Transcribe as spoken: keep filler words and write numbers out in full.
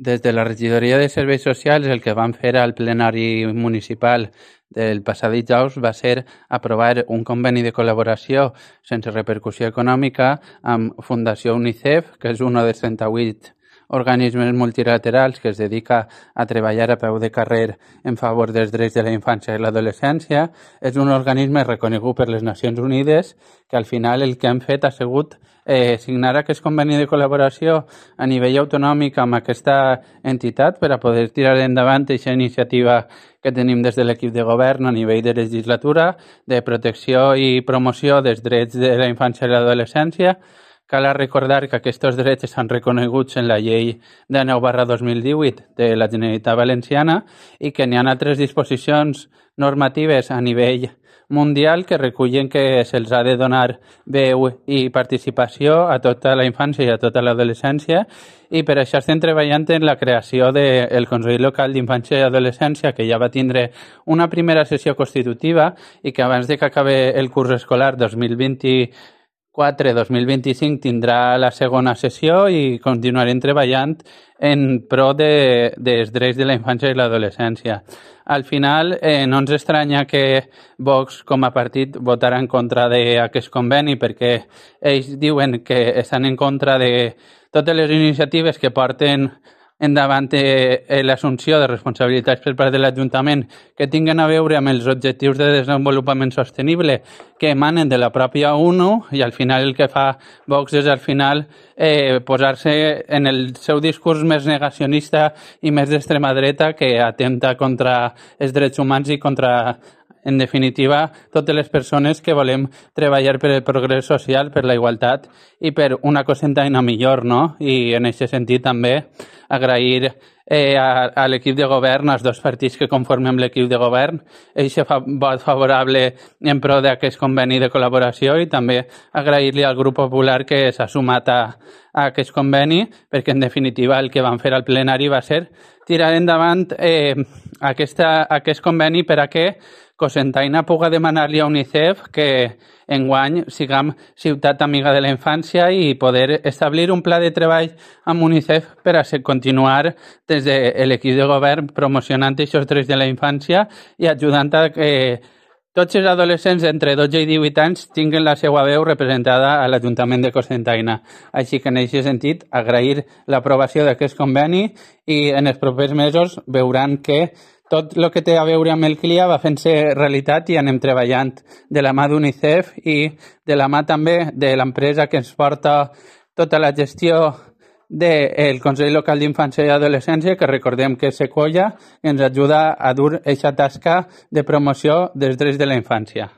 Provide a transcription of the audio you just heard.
Des de la regidoria de serveis socials el que vam fer al plenari municipal del passat dijous va ser aprovar un conveni de col·laboració sense repercussió econòmica amb Fundació UNICEF, que és un dels trenta-vuit organismes multilaterals que es dedica a treballar a peu de carrer en favor dels drets de la infància i l'adolescència. És un organisme reconegut per les Nacions Unides que al final el que han fet ha sigut eh, signar aquest conveni de col·laboració a nivell autonòmic amb aquesta entitat per a poder tirar endavant aquesta iniciativa que tenim des de l'equip de govern a nivell de legislatura de protecció i promoció dels drets de la infància i l'adolescència. Cal recordar que aquests drets estan reconeguts en la llei de nou barra dos mil divuit de la Generalitat Valenciana i que n'hi ha altres disposicions normatives a nivell mundial que recullen que se'ls ha de donar veu i participació a tota la infància i a tota l'adolescència, i per això estem treballant en la creació del Consell Local d'Infància i Adolescència, que ja va tindre una primera sessió constitutiva i que abans de que acabi el curs escolar dos mil vint-i-quatre dos mil vint-i-cinc tindrà la segona sessió i continuarem treballant en pro de, dels drets de la infància i l'adolescència. Al final, eh, no ens estranya que Vox, com a partit, votarà en contra d'aquest conveni perquè ells diuen que estan en contra de totes les iniciatives que porten endavant eh, l'assumpció de responsabilitats per part de l'Ajuntament que tinguin a veure amb els objectius de desenvolupament sostenible que emanen de la pròpia ONU, i al final el que fa Vox és al final eh, posar-se en el seu discurs més negacionista i més d'extrema dreta que atenta contra els drets humans i contra, en definitiva, totes les persones que volem treballar per el progrés social, per la igualtat i per una cosetaina millor, no? I en aquest sentit també agrair eh, a, a l'equip de govern, als dos partits que conformem l'equip de govern, aquest vot favorable en pro d'aquest conveni de col·laboració, i també agrair-li al grup popular que s'ha sumat a, a aquest conveni, perquè en definitiva el que van fer al plenari va ser tirar endavant eh, aquesta, aquest conveni per a que Cocentaina puga demanar-li a UNICEF que enguany siguem ciutat amiga de la infància i poder establir un pla de treball amb UNICEF per a continuar des de l'equip de govern promocionant aquests drets de la infància i ajudant a que tots els adolescents entre dotze i divuit anys tinguin la seva veu representada a l'Ajuntament de Cocentaina. Així que en aquest sentit agrair l'aprovació d'aquest conveni i en els propers mesos veuran que tot el que té a veure amb el C L I A va fent-se realitat i anem treballant de la mà d'UNICEF i de la mà també de l'empresa que ens porta tota la gestió del Consell Local d'Infància i Adolescència, que recordem que és Sequoia, que ens ajuda a dur aquesta tasca de promoció dels drets de la infància.